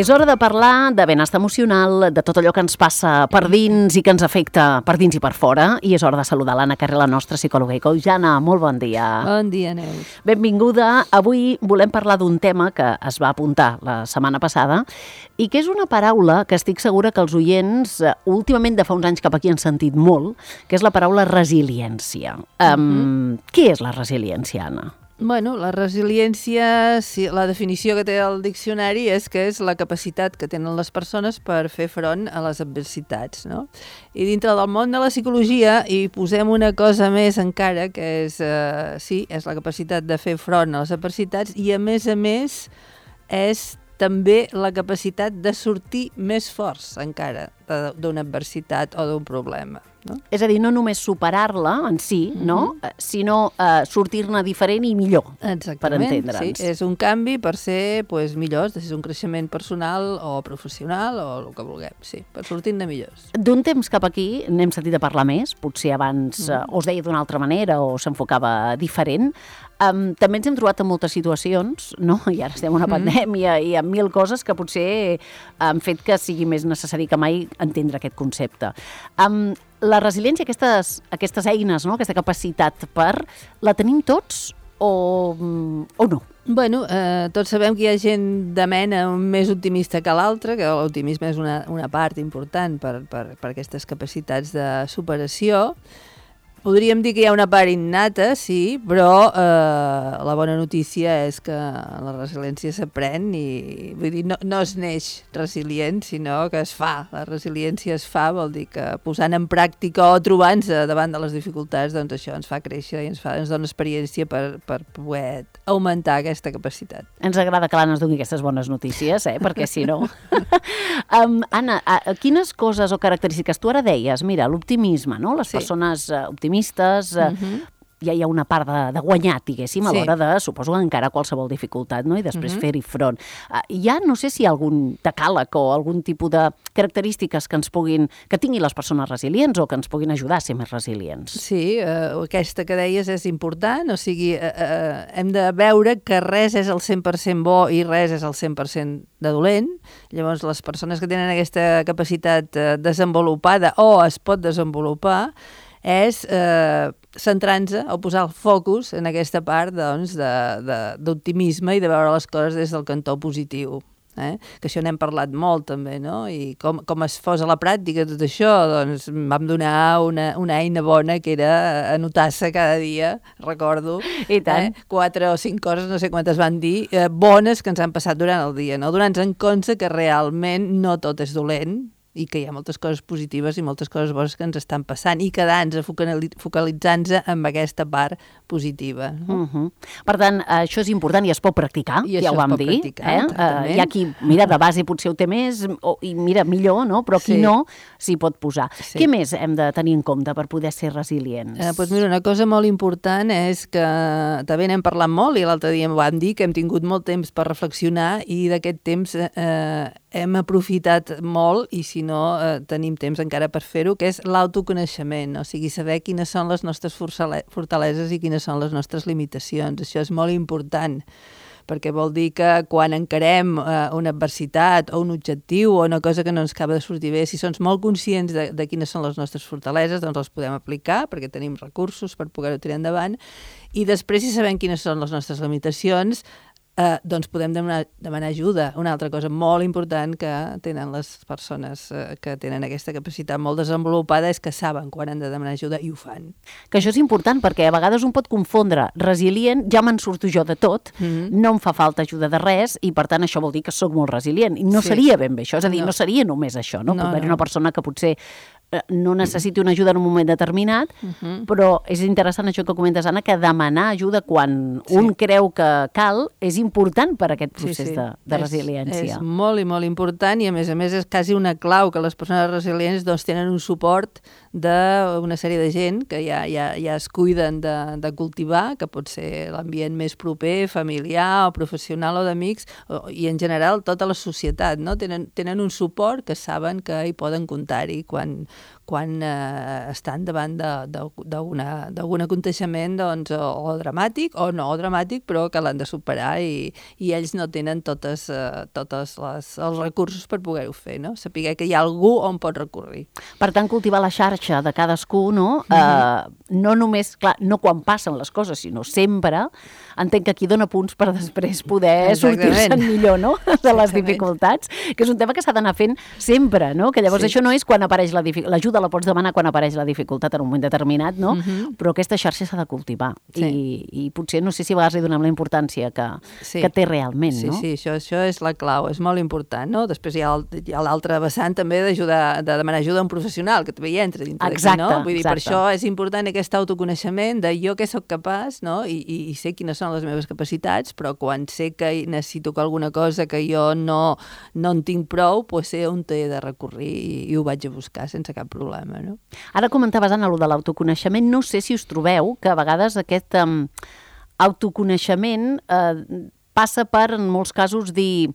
És hora de parlar de benestar emocional, de tot allò que ens passa per dins i que ens afecta per dins i per fora. I és hora de saludar l'Anna Carré, la nostra psicòloga i coach. Anna, molt bon dia. Bon dia, Neus. Benvinguda. Avui volem parlar d'un tema que es va apuntar la setmana passada i que és una paraula que estic segura que els oients últimament de fa uns anys cap aquí han sentit molt, que és la paraula resiliència. Què és la resiliència, Anna? Bueno, la resiliència, la definició que té el diccionari és que és la capacitat que tenen les persones per fer front a les adversitats, no? I dintre del món de la psicologia hi posem una cosa més encara, que és, és la capacitat de fer front a les adversitats i, a més, és també la capacitat de sortir més forts encara d'una adversitat o d'un problema. No? És a dir, no només superar-la en si, no? Sinó sortir-ne diferent i millor, per entendre'ns. Sí, és un canvi per ser millors, és un creixement personal o professional o el que vulguem, sí, per sortir-ne millors. D'un temps cap aquí n'hem sentit a parlar més, potser abans o es deia d'una altra manera o s'enfocava diferent. També ens hem trobat en moltes situacions, no? I ara estem en una pandèmia i en mil coses que potser han fet que sigui més necessari que mai entendre aquest concepte. La resiliència, aquestes eines, no? Aquesta capacitat la tenim tots o no? Bueno, tots sabem que hi ha gent de mena més optimista que l'altra, que l'optimisme és una part important per aquestes capacitats de superació. Podríem dir que hi ha una part innata, sí, però la bona notícia és que la resiliència s'aprèn i vull dir, no es neix resilient, sinó que es fa. La resiliència es fa, vol dir que posant en pràctica o trobant-se davant de les dificultats, doncs això ens fa créixer i ens dona experiència per poder augmentar aquesta capacitat. Ens agrada que l'Anna ens doni aquestes bones notícies, perquè si no... Anna, quines coses o característiques? Tu ara deies, mira, l'optimisme, no? Les persones optimistes, ja hi ha una part de guanyat, diguéssim, a l'hora de, suposo, encarar qualsevol dificultat, no? I després fer-hi front. Ja no sé si hi ha algun decàleg o algun tipus de característiques que tinguin les persones resilients o que ens puguin ajudar a ser més resilients. Sí, aquesta que deies és important, o sigui, hem de veure que res és el 100% bo i res és el 100% de dolent. Llavors, les persones que tenen aquesta capacitat desenvolupada o es pot desenvolupar és centrar-se o posar el focus en aquesta part d'optimisme i de veure les coses des del cantó positiu. Que això n'hem parlat molt també, no? I com es fos a la pràctica tot això, doncs vam donar una eina bona que era anotar-se cada dia, recordo, i tant. 4 o 5 coses, no sé quantes van dir, bones que ens han passat durant el dia, no? Donant-nos en compte que realment no tot és dolent, i que hi ha moltes coses positives i moltes coses bones que ens estan passant i quedant-nos, focalitzant-nos en aquesta part positiva. Per tant, això és important i es pot practicar, ja ho vam dir. Hi ha qui, mira, de base potser ho té més i mira, millor, no? Però qui no s'hi pot posar. Què més hem de tenir en compte per poder ser resilients? Doncs mira, una cosa molt important és que també n'hem parlat molt i l'altre dia vam dir que hem tingut molt temps per reflexionar i d'aquest temps hem aprofitat molt i si no tenim temps encara per fer-ho, que és l'autoconeixement, o sigui, saber quines són les nostres fortaleses i quines són les nostres limitacions. Això és molt important, perquè vol dir que quan encarem una adversitat o un objectiu o una cosa que no ens acaba de sortir bé, si som molt conscients de quines són les nostres fortaleses, doncs les podem aplicar perquè tenim recursos per poder-ho tirar endavant i després, si sabem quines són les nostres limitacions, doncs podem demanar ajuda. Una altra cosa molt important que tenen les persones que tenen aquesta capacitat molt desenvolupada és que saben quan han de demanar ajuda i ho fan. Que això és important perquè a vegades un pot confondre resilient, ja me'n surto jo de tot, no em fa falta ajuda de res i per tant això vol dir que sóc molt resilient i no seria ben bé això, és a dir, no seria només això, no? Pot haver una persona que potser no necessiti una ajuda en un moment determinat, però és interessant això que comentes, Anna, que demanar ajuda quan un creu que cal és important per a aquest procés de resiliència. És molt i molt important i a més és quasi una clau que les persones resilients doncs, tenen un suport d'una sèrie de gent que ja es cuiden de cultivar, que pot ser l'ambient més proper, familiar o professional o d'amics, i en general tota la societat, no? Tenen un suport que saben que hi poden comptar-hi quan quan estan davant d'algun aconteixement doncs, o dramàtic o no dramàtic, però que l'han de superar i ells no tenen tots els recursos per poder-ho fer, no? Saber que hi ha algú on pot recórrer. Per tant, cultivar la xarxa de cadascú, no? No només, clar, no quan passen les coses, sinó sempre, entenc que aquí dona punts per després poder sortir-se'n millor, no?, de les dificultats, que és un tema que s'ha d'anar fent sempre, no? Que llavors això no és quan apareix l'ajuda la pots demanar quan apareix la dificultat en un moment determinat, no? Però aquesta xarxa s'ha de cultivar i potser no sé si a vegades li donem la importància que té realment, no? Sí, això és la clau, és molt important, no? Després hi ha l'altre vessant també de demanar ajuda a un professional, que també hi entra dintre d'aquí, no? Vull dir, per això és important aquest autoconeixement de jo què sóc capaç, no? I sé quines són les meves capacitats, però quan sé que necessito alguna cosa que jo no en tinc prou, doncs sé on he de recórrer i ho vaig a buscar sense cap problema, no? Ara comentaves, Anna, allò de l'autoconeixement. No sé si us trobeu que a vegades aquest autoconeixement passa per, en molts casos, dir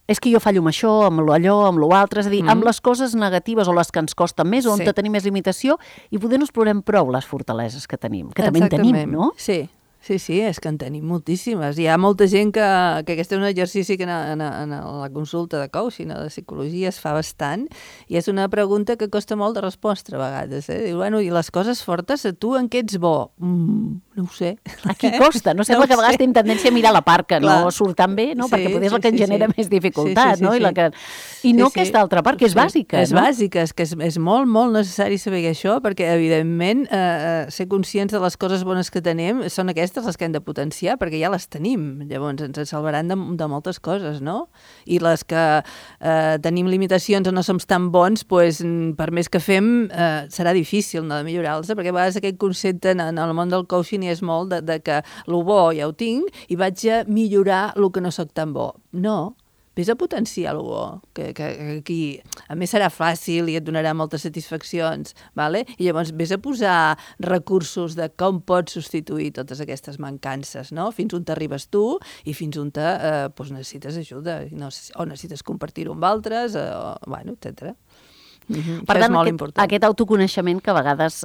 és que jo fallo amb això, amb allò, amb l'altre, és a dir, amb les coses negatives o les que ens costen més, on tenim més limitació, i poder no explorem prou les fortaleses que tenim, que també en tenim, no? Sí, és que en tenim moltíssimes. Hi ha molta gent que aquest és un exercici que en la consulta de coaching o de psicologia es fa bastant, i és una pregunta que costa molt de respondre a vegades. Diu, bueno, i les coses fortes, tu en què ets bo? No ho sé. Aquí costa, no? Sembla que a vegades tenim tendència a mirar la part que no surt tan bé, no? Perquè potser és la que ens genera més dificultat, no? I no aquesta altra part, que és bàsica, no? És bàsica, és que és molt, molt necessari saber això, perquè, evidentment, ser conscients de les coses bones que tenim són aquestes les que hem de potenciar, perquè ja les tenim. Llavors ens salvaran de moltes coses, no? I les que tenim limitacions o no som tan bons, doncs, per més que fem, serà difícil de millorar-los, perquè a vegades aquest concepte en el món del coaching és molt de que el bo ja ho tinc i vaig a millorar el que no soc tan bo. No, vés a potenciar el bo, que aquí a més serà fàcil i et donarà moltes satisfaccions, vale? I llavors vés a posar recursos de com pots substituir totes aquestes mancances, no? Fins on t'arribes tu i fins on necessites ajuda, o necessites compartir-ho amb altres, etc. Per tant, aquest autoconeixement que a vegades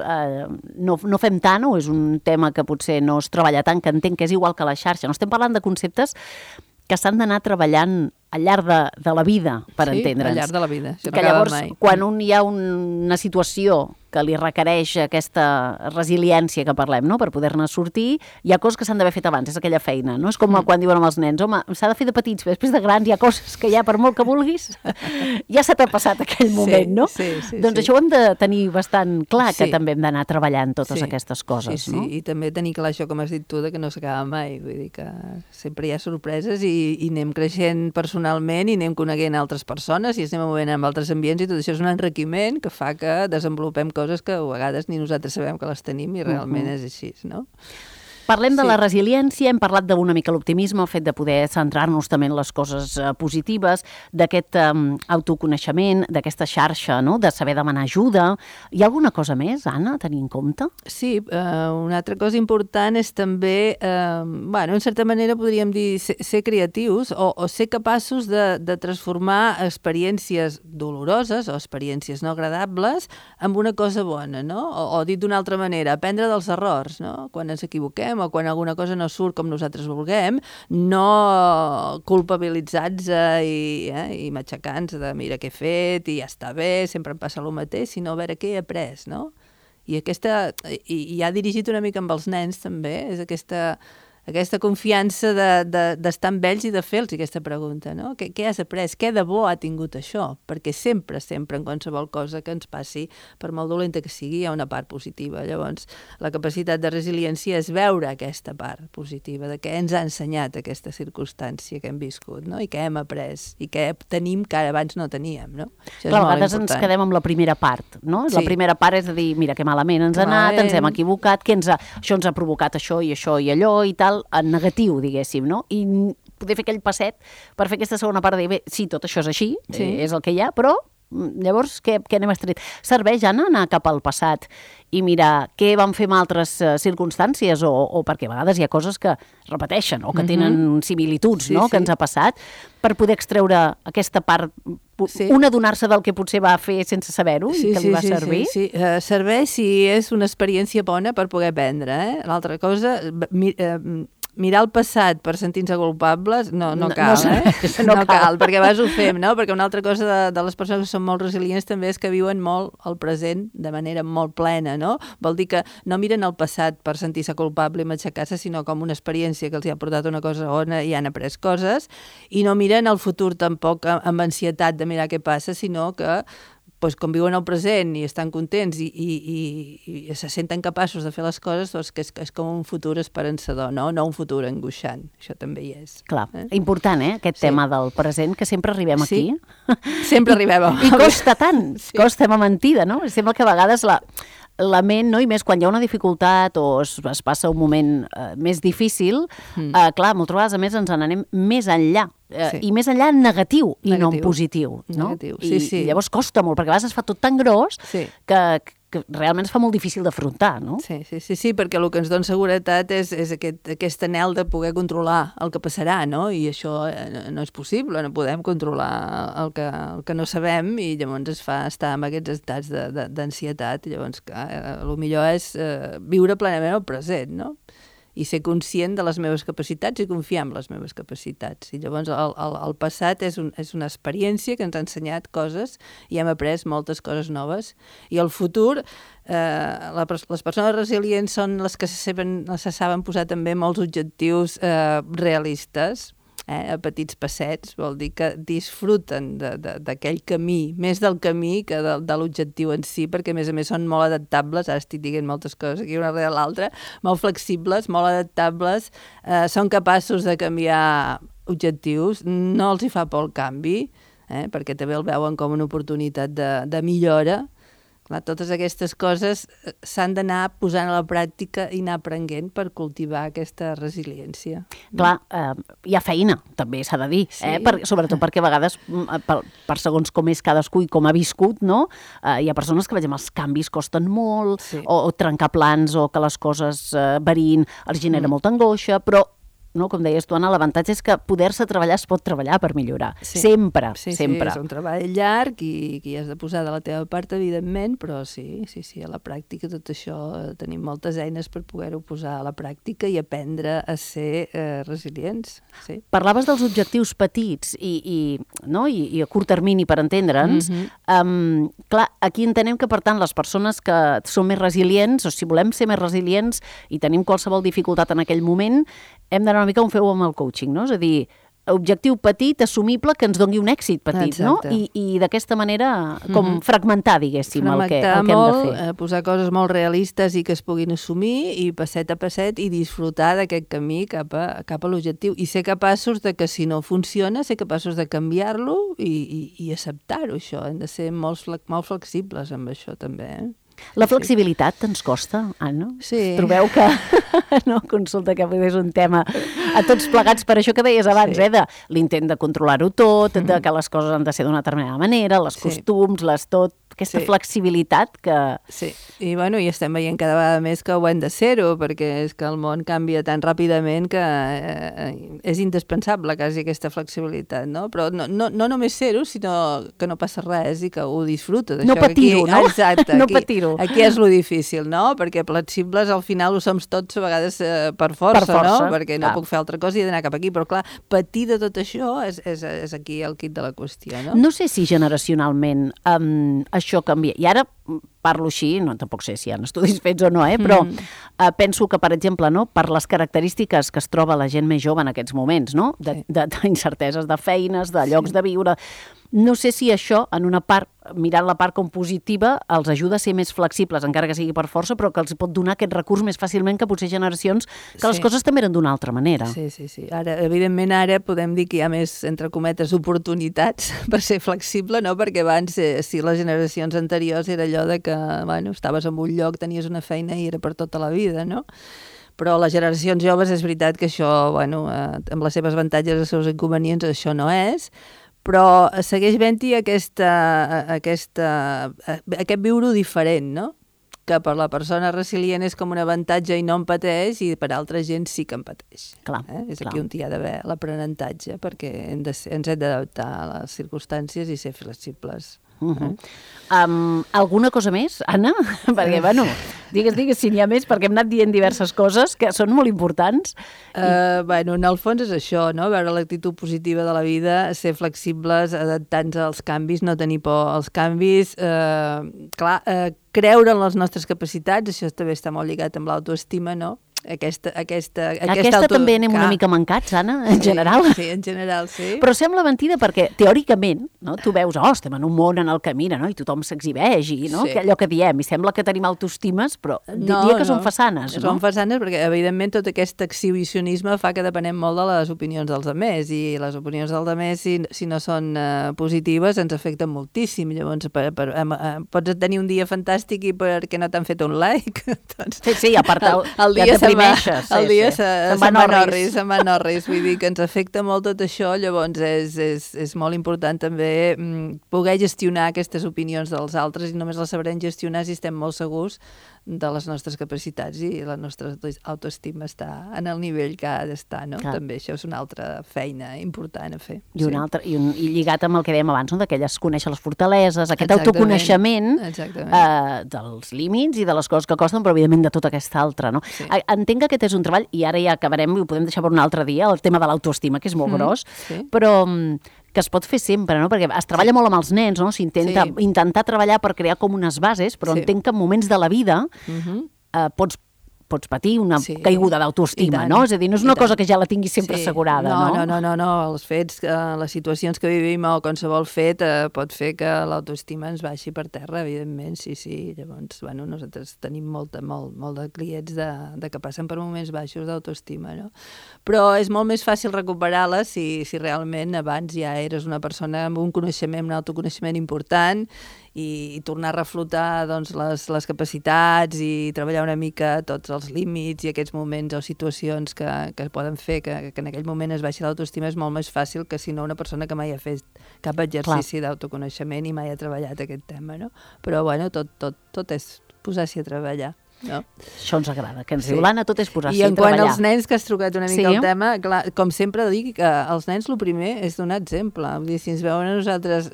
no fem tant, o és un tema que potser no es treballa tant, que entenc que és igual que la xarxa. No estem parlant de conceptes que s'han d'anar treballant al llarg de la vida, per entendre'ns. Sí, al llarg de la vida. Que llavors, quan hi ha una situació que li requereix aquesta resiliència que parlem, no?, per poder-ne sortir, hi ha coses que s'han d'haver fet abans, és aquella feina, no? És com quan diuen amb els nens, home, s'ha de fer de petits, després de grans hi ha coses que ja, per molt que vulguis, ja se t'ha passat aquell moment, no? Doncs això ho hem de tenir bastant clar, que també hem d'anar treballant totes aquestes coses, no? Sí, i també tenir clar això, com has dit tu, que no s'acaba mai, vull dir que sempre hi ha sorpreses i anem creixent personalment i anem coneguent altres persones i ens anem movent en altres ambients i tot això és un enriquiment que fa que desenvolupem coses que a vegades ni nosaltres sabem que les tenim i realment és així, no? Parlem de la resiliència, hem parlat d'una mica l'optimisme, el fet de poder centrar-nos també en les coses positives, d'aquest autoconeixement, d'aquesta xarxa, no?, de saber demanar ajuda. Hi ha alguna cosa més, Anna, a tenir en compte? Sí, una altra cosa important és també, en certa manera podríem dir ser creatius o ser capaços de transformar experiències doloroses o experiències no agradables en una cosa bona, no? O dit d'una altra manera, aprendre dels errors, no? Quan ens equivoquem o quan alguna cosa no surt com nosaltres vulguem, no culpabilitzats i matxacants de mira què he fet i ja està bé, sempre em passa el mateix, sinó a veure què he après, no? I ha dirigit una mica amb els nens també, és aquesta confiança d'estar amb ells i de fer-los aquesta pregunta, no? Què has après? Què de bo ha tingut això? Perquè sempre, en qualsevol cosa que ens passi, per molt dolenta que sigui, hi ha una part positiva. Llavors, la capacitat de resiliència és veure aquesta part positiva, de què ens ha ensenyat aquesta circumstància que hem viscut, no? I què hem après, i què tenim que ara abans no teníem, no? Clar, a vegades ens quedem amb la primera part, no? La primera part és de dir, mira, que malament ens ha anat, ens hem equivocat, això ens ha provocat això i allò i tal, en negatiu, diguéssim, no? I poder fer aquell passet per fer aquesta segona part de dir, bé, sí, tot això és així, és el que hi ha, però Llavors, què n'hem extret? Serveix, Anna, anar cap al passat i mirar què van fer en altres circumstàncies o perquè a vegades hi ha coses que repeteixen o que tenen similituds, no?, que ens ha passat, per poder extreure aquesta part, un adonar-se del que potser va fer sense saber-ho i que li va servir? Sí. Serveix si és una experiència bona per poder aprendre, L'altra cosa, mirar el passat per sentir-nos culpables no cal, no cal, perquè a vegades ho fem, no? Perquè una altra cosa de les persones que són molt resilients també és que viuen molt el present de manera molt plena, no? Vol dir que no miren el passat per sentir-se culpable i matxacar-se, sinó com una experiència que els ha portat una cosa on hi han après coses, i no miren el futur tampoc amb ansietat de mirar què passa, sinó que com viuen el present i estan contents i se senten capaços de fer les coses, doncs que és com un futur esperançador, no un futur angoixant. Això també hi és. Clar, important, aquest tema del present, que sempre arribem aquí. Sempre arribem. I costa tant, costa amb mentida, no? Sembla que a vegades la ment, no? I més quan hi ha una dificultat o es passa un moment més difícil, clar, moltes vegades a més ens n'anem més enllà. I més enllà en negatiu i no en positiu. No? I llavors costa molt, perquè a vegades es fa tot tan gros que realment es fa molt difícil d'afrontar, no? Sí, perquè el que ens dona seguretat és aquest anhel de poder controlar el que passarà, no? I això no és possible, no podem controlar el que no sabem i llavors es fa estar en aquests estats d'ansietat. Llavors, el millor és viure plenament el present, no? I ser conscient de les meves capacitats i confiar en les meves capacitats. I llavors el passat és una experiència que ens ha ensenyat coses i hem après moltes coses noves. I el futur, les persones resilients són les que se saben posar també molts objectius realistes, a petits passets, vol dir que disfruten d'aquell camí, més del camí que de l'objectiu en si, perquè a més són molt adaptables, ara estic dient moltes coses aquí una darrere l'altra, molt flexibles, molt adaptables, són capaços de canviar objectius, no els hi fa por el canvi, perquè també el veuen com una oportunitat de millora. Clar, totes aquestes coses s'han d'anar posant a la pràctica i anar aprenent per cultivar aquesta resiliència. Clar, hi ha feina, també s'ha de dir, sobretot perquè a vegades, per segons com és cadascú i com ha viscut, no? Hi ha persones que, per exemple, els canvis costen molt, o trencar plans, o que les coses variïn, els genera molta angoixa, però no, com deies tu, Anna, l'avantatge és que poder-se treballar es pot treballar per millorar. Sempre. Sí, és un treball llarg i has de posar de la teva part, evidentment, però sí, a la pràctica tot això tenim moltes eines per poder-ho posar a la pràctica i aprendre a ser resilients. Sí. Parlaves dels objectius petits i a curt termini per entendre'ns. Clar, aquí entenem que, per tant, les persones que són més resilients, o si volem ser més resilients i tenim qualsevol dificultat en aquell moment, hem d'anar una mica on feu amb el coaching, no? És a dir, objectiu petit, assumible, que ens doni un èxit petit, no? I d'aquesta manera, com fragmentar, diguéssim, el que hem de fer. Posar coses molt realistes i que es puguin assumir i passet a passet i disfrutar d'aquest camí cap a l'objectiu. I ser capaços de que si no funciona, ser capaços de canviar-lo i acceptar-ho, això. Hem de ser molt flexibles amb això, també, La flexibilitat ens costa, Anna? Sí. Trobeu que consulta que és un tema a tots plegats, per això que deies abans, de l'intent de controlar-ho tot, de que les coses han de ser d'una determinada manera, les costums, aquesta flexibilitat que... Sí, i estem veient cada vegada més que ho hem de ser-ho, perquè és que el món canvia tan ràpidament que és indispensable quasi aquesta flexibilitat, no? Però no només ser-ho, sinó que no passa res i que ho disfruta. No patir-ho, no? Exacte. No patir-ho. Aquí és lo difícil, no? Perquè flexibles al final ho som tots a vegades per força, no? Perquè no puc fer altra cosa i he d'anar cap aquí, però clar, patir de tot això és aquí el quid de la qüestió, no? No sé si generacionalment això canvia. I ara parlo així, tampoc sé si hi ha estudis fets o no, però penso que, per exemple, per les característiques que es troba la gent més jove en aquests moments, no? D'incerteses de feines, de llocs de viure... No sé si això, en una part, mirant la part com positiva, els ajuda a ser més flexibles, encara que sigui per força, però que els pot donar aquest recurs més fàcilment que potser generacions que les coses també eren d'una altra manera. Sí. Evidentment, ara podem dir que hi ha més, entre cometes, oportunitats per ser flexible, no? Perquè abans, si les generacions anteriors era allò de que, estaves en un lloc, tenies una feina i era per tota la vida, no? Però les generacions joves és veritat que això, amb les seves avantatges i els seus inconvenients, això no és, però segueix havent-hi aquest viure-ho diferent, no? Que per la persona resilient és com un avantatge i no en pateix, i per altra gent sí que en pateix. Clar, És aquí on hi ha d'haver l'aprenentatge, perquè ens hem d'adaptar a les circumstàncies i ser flexibles. Alguna cosa més, Anna? Perquè, bueno, digues si n'hi ha més, perquè hem anat dient diverses coses que són molt importants. Bueno, en el fons és això, no? Veure l'actitud positiva de la vida, ser flexibles, adaptar-nos als canvis, no tenir por als canvis, creure en les nostres capacitats, això també està molt lligat amb l'autoestima, no? Aquesta també anem una mica mancats, Anna, en general. Sí, en general, sí. Però sembla mentida perquè, teòricament, no, tu veus, estem en un món en el que mira, no, i tothom s'exhibeix, i no, que allò que diem, i sembla que tenim autoestimes, però diria que són façanes, no? Són façanes perquè, evidentment, tot aquest exhibicionisme fa que depenem molt de les opinions dels altres, i les opinions dels altres, si no són positives, ens afecten moltíssim. Llavors, pots tenir un dia fantàstic i perquè no t'han fet un like. Doncs, sí, a part el dia el dia se'n van orris, vull dir que ens afecta molt tot això, llavors és molt important també poder gestionar aquestes opinions dels altres, i només les sabrem gestionar si estem molt segurs de les nostres capacitats i la nostra autoestima està en el nivell que ha d'estar, no? Clar. També això és una altra feina important a fer. I lligat amb el que dèiem abans, no? D'aquelles conèixer les fortaleses, aquest autoconeixement dels límits i de les coses que costen, però evidentment de tota aquesta altra, no? Sí. Entenc que aquest és un treball, i ara ja acabarem, i ho podem deixar per un altre dia, el tema de l'autoestima, que és molt gros, però que es pot fer sempre, no? Perquè es treballa molt amb els nens, no? S'intenta intentar treballar per crear com unes bases, però entenc que en moments de la vida pots patir una caiguda d'autoestima, no? És a dir, no és una cosa que ja la tinguis sempre assegurada, no? No. Els fets, les situacions que vivim o qualsevol fet pot fer que l'autoestima ens baixi per terra, evidentment, sí. Llavors, bueno, nosaltres tenim molt de clients que passen per moments baixos d'autoestima, no? Però és molt més fàcil recuperar-la si realment abans ja eres una persona amb un coneixement, un autoconeixement important, i tornar a reflotar doncs, les capacitats i treballar una mica tots els límits i aquests moments o situacions que poden fer que en aquell moment es baixi l'autoestima és molt més fàcil que si no una persona que mai ha fet cap exercici d'autoconeixement i mai ha treballat aquest tema, no? Però bueno, tot és posar-s'hi a treballar. No? Això ens agrada, que ens diu l'Anna, tot és posar-s'hi a treballar. I en quant als nens, que has trucat una mica el tema, clar, com sempre dic, que els nens el primer és donar exemple. Vull dir, si ens veuen a nosaltres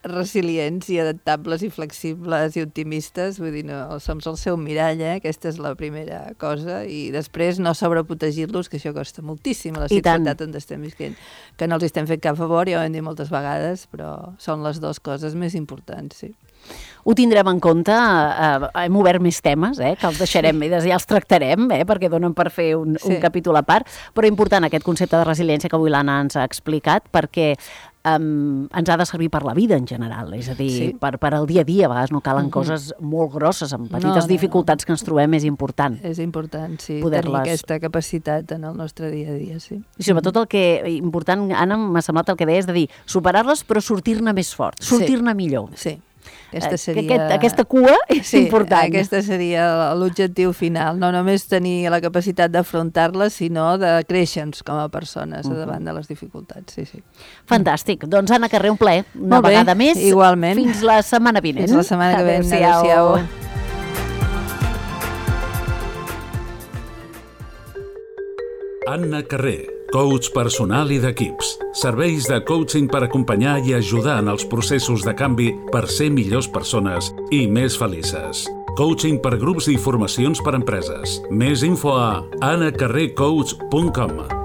resilients i adaptables i flexibles i optimistes, vull dir, no, som el seu mirall, aquesta és la primera cosa, i després no sobreprotegir-los, que això costa moltíssim a la societat on estem visquent, que no els estem fent cap favor, ja ho hem dit moltes vegades, però són les dues coses més importants, sí. Ho tindrem en compte, hem obert més temes, que els deixarem i ja els tractarem, perquè donen per fer un capítol a part, però important aquest concepte de resiliència que avui l'Anna ens ha explicat, perquè ens ha de servir per la vida en general, és a dir, per al dia a dia, a vegades no calen coses molt grosses, amb petites dificultats que ens trobem, és important. És important, sí, tenir aquesta capacitat en el nostre dia a dia, sí. I sobretot el que important, Anna, m'ha semblat el que deies de dir, superar-les però sortir-ne més fort, sortir-ne millor. Sí. Aquesta cua és important. Aquesta seria l'objectiu final, no només tenir la capacitat d'afrontar-la, sinó de créixer-nos com a persones davant de les dificultats. Sí. Fantàstic. Doncs Anna Carrer, un plaer. Una vegada més. Igualment. Fins la setmana vinent. Fins la setmana que ve. Adéu-siau. Anna Carrer, coach personal i d'equips. Serveis de coaching per acompanyar i ajudar en els processos de canvi per ser millors persones i més felices. Coaching per grups i formacions per empreses. Més info a anacarrercoach.com.